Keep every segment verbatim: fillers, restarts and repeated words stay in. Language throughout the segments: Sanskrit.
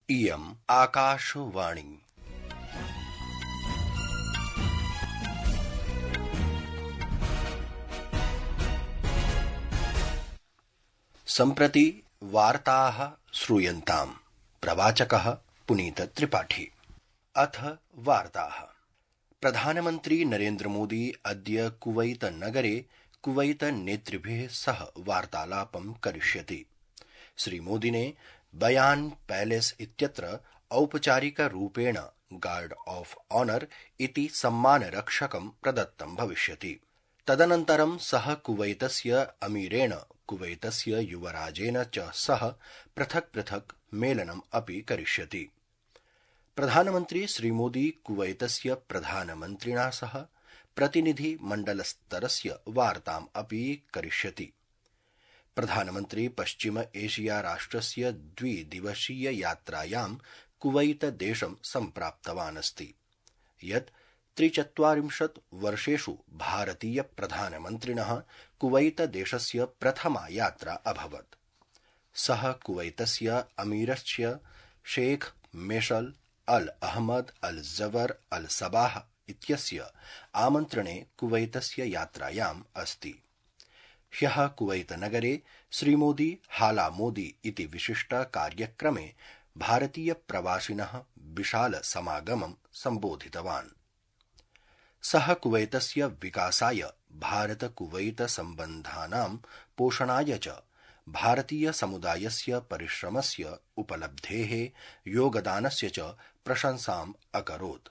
इयम् आकाशवाणी। सम्प्रति वार्ताः श्रूयन्ताम्। प्रवाचकः पुनीत त्रिपाठी। अथ वार्ताः। प्रधानमन्त्री नरेन्द्र मोदी अद्य कुवैत नगरे कुवैत नेतृभिः सह वार्तालापं करिष्यति। श्रीमोदिने बयान पैलेस इत्यत्र औपचारिकरूपेण गार्ड ऑफ ऑनर इति सम्मानरक्षकं प्रदत्तं भविष्यति। तदनन्तरं सः कुवैतस्य अमीरेण कुवैतस्य युवराजेन च सह पृथक् पृथक् मेलनम् अपि करिष्यति। प्रधानमन्त्री श्रीमोदी कुवैतस्य प्रधानमन्त्रिणा सह प्रतिनिधि मण्डलस्तरस्य वार्ताम् अपि करिष्यति। प्रधानमन्त्री पश्चिम एशिया राष्ट्रस्य द्विदिवसीय यात्रायां कुवैत देशं सम्प्राप्तवान् अस्ति, यत् त्रिचत्वारिंशत् वर्षेषु भारतीय प्रधानमन्त्रिणः कुवैत देशस्य प्रथमा यात्रा अभवत्। सः कुवैतस्य अमीरस्य शेख मेशल अल अहमद अल जबर अल सबाह इत्यस्य आमन्त्रणे कुवैतस्य यात्रायाम् अस्ति। ह्यः कुवैत नगरे श्रीमोदी हाला मोदी इति विशिष्ट कार्यक्रमे भारतीय प्रवासिनः विशाल समागमं सम्बोधितवान्। सः कुवैतस्य विकासाय, भारत कुवैत सम्बन्धानां पोषणाय च भारतीय समुदायस्य परिश्रमस्य, उपलब्धेः, योगदानस्य च प्रशंसाम् अकरोत्।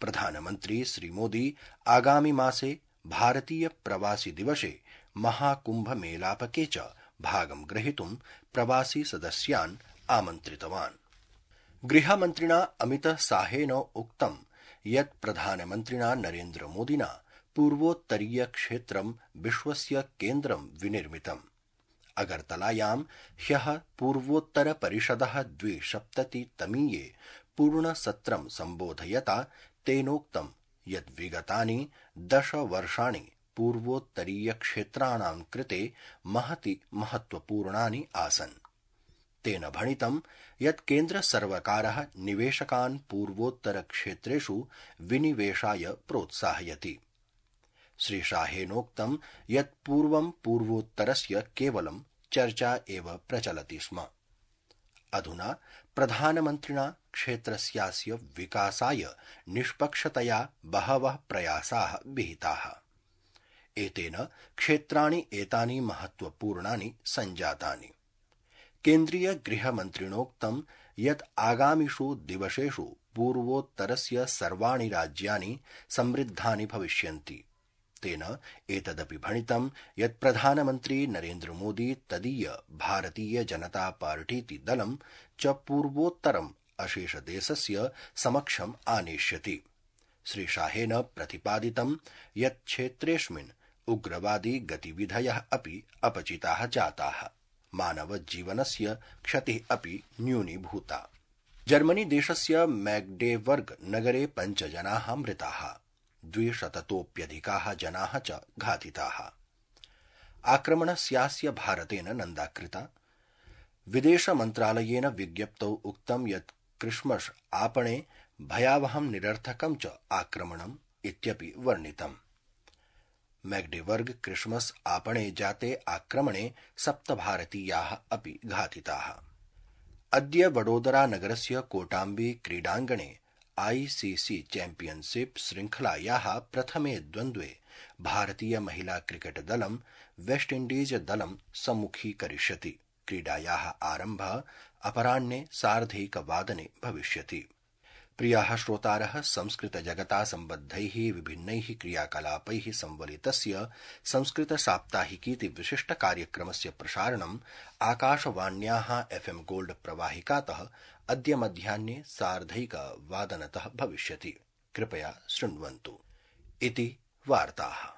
प्रधानमन्त्री श्रीमोदी आगामि मासे भारतीय प्रवासी दिवसे महाकुम्भ मेलापके च भागं ग्रहीतुं प्रवासी सदस्यान् आमन्त्रितवान्। गृहमन्त्रिणा अमित शाहेन उक्तं यत् प्रधानमन्त्रिणा नरेन्द्र मोदिना पूर्वोत्तरीय क्षेत्रं विश्वस्य केन्द्रं विनिर्मितम्। अगरतलायां ह्यः पूर्वोत्तर परिषदः द्विसप्ततितमीये पूर्णसत्रं सम्बोधयता तेनोक्तं यत् विगतानि दश वर्षाणि पूर्वोत्तरीय क्षेत्राणां कृते महति महत्वपूर्णानि आसन्। तेन भणितं यत् केन्द्र सर्वकारः निवेशकान् पूर्वोत्तर क्षेत्रेषु विनिवेशाय प्रोत्साहयति। श्रीशाहेनोक्तं यत् पूर्वं पूर्वोत्तरस्य केवलं चर्चा एव प्रचलति स्म। अधुना प्रधानमन्त्रिणा क्षेत्रस्यास्य विकासाय निष्पक्षतया बहवः प्रयासाः विहिताः। एतेन क्षेत्राणि एतानि महत्वपूर्णानि सञ्जातानि। केन्द्रीय गृहमन्त्रिणोक्तं यत् आगामिषु दिवसेषु पूर्वोत्तरस्य सर्वाणि राज्यानि समृद्धानि भविष्यन्ति। तेन एतदपि भणितं यत् प्रधानमन्त्री नरेन्द्र मोदी तदीय भारतीय जनता पार्टीति दलं च पूर्वोत्तरम् अशेषदेशस्य समक्षम् आनेष्यति। श्रीशाहेन प्रतिपादितं यत् क्षेत्रेऽस्मिन् उग्रवादी गतिविधयः अपि अपचिताः जाताः, मानवजीवनस्य क्षतिः अपि न्यूनीभूता। जर्मनी देशस्य मैग्डेबर्ग नगरे पञ्च जनाः मृताः, द्विशततोऽप्यधिकाः जनाः च घातिताः। आक्रमणस्यास्य भारतेन निन्दा कृता। विदेशमन्त्रालयेन विज्ञप्तौ उक्तं यत् क्रिसमस आपणे भयावहं निरर्थकं च आक्रमणम् इत्यपि वर्णितम्। मैग्डेबर्ग क्रिसमस आपणे जाते आक्रमणे सप्त भारतीयाः अपि घातिताः। अद्य वडोदरा नगरस्य कोटाम्बी क्रीडाङ्गणे आईसीसी चैम्पियनशिप श्रृंखलायाः प्रथमे द्वन्द्वे भारतीय महिला क्रिकेट दलं वेस्ट इण्डीज दलं सम्मुखीकरिष्यति। क्रीडायाः आरम्भः अपराह्ने सार्धैकवादने भविष्यति। प्रियाः श्रोतारः, संस्कृतजगता सम्बद्धैः विभिन्नैः क्रियाकलापैः संवलितस्य संस्कृतसाप्ताहिकीति विशिष्टकार्यक्रमस्य प्रसारणम् आकाशवाण्याः एफ्एम् गोल्ड प्रवाहिकातः अद्य मध्याह्ने सार्धैकवादनतः भविष्यति। कृपया शृण्वन्तु। इति वार्ताः।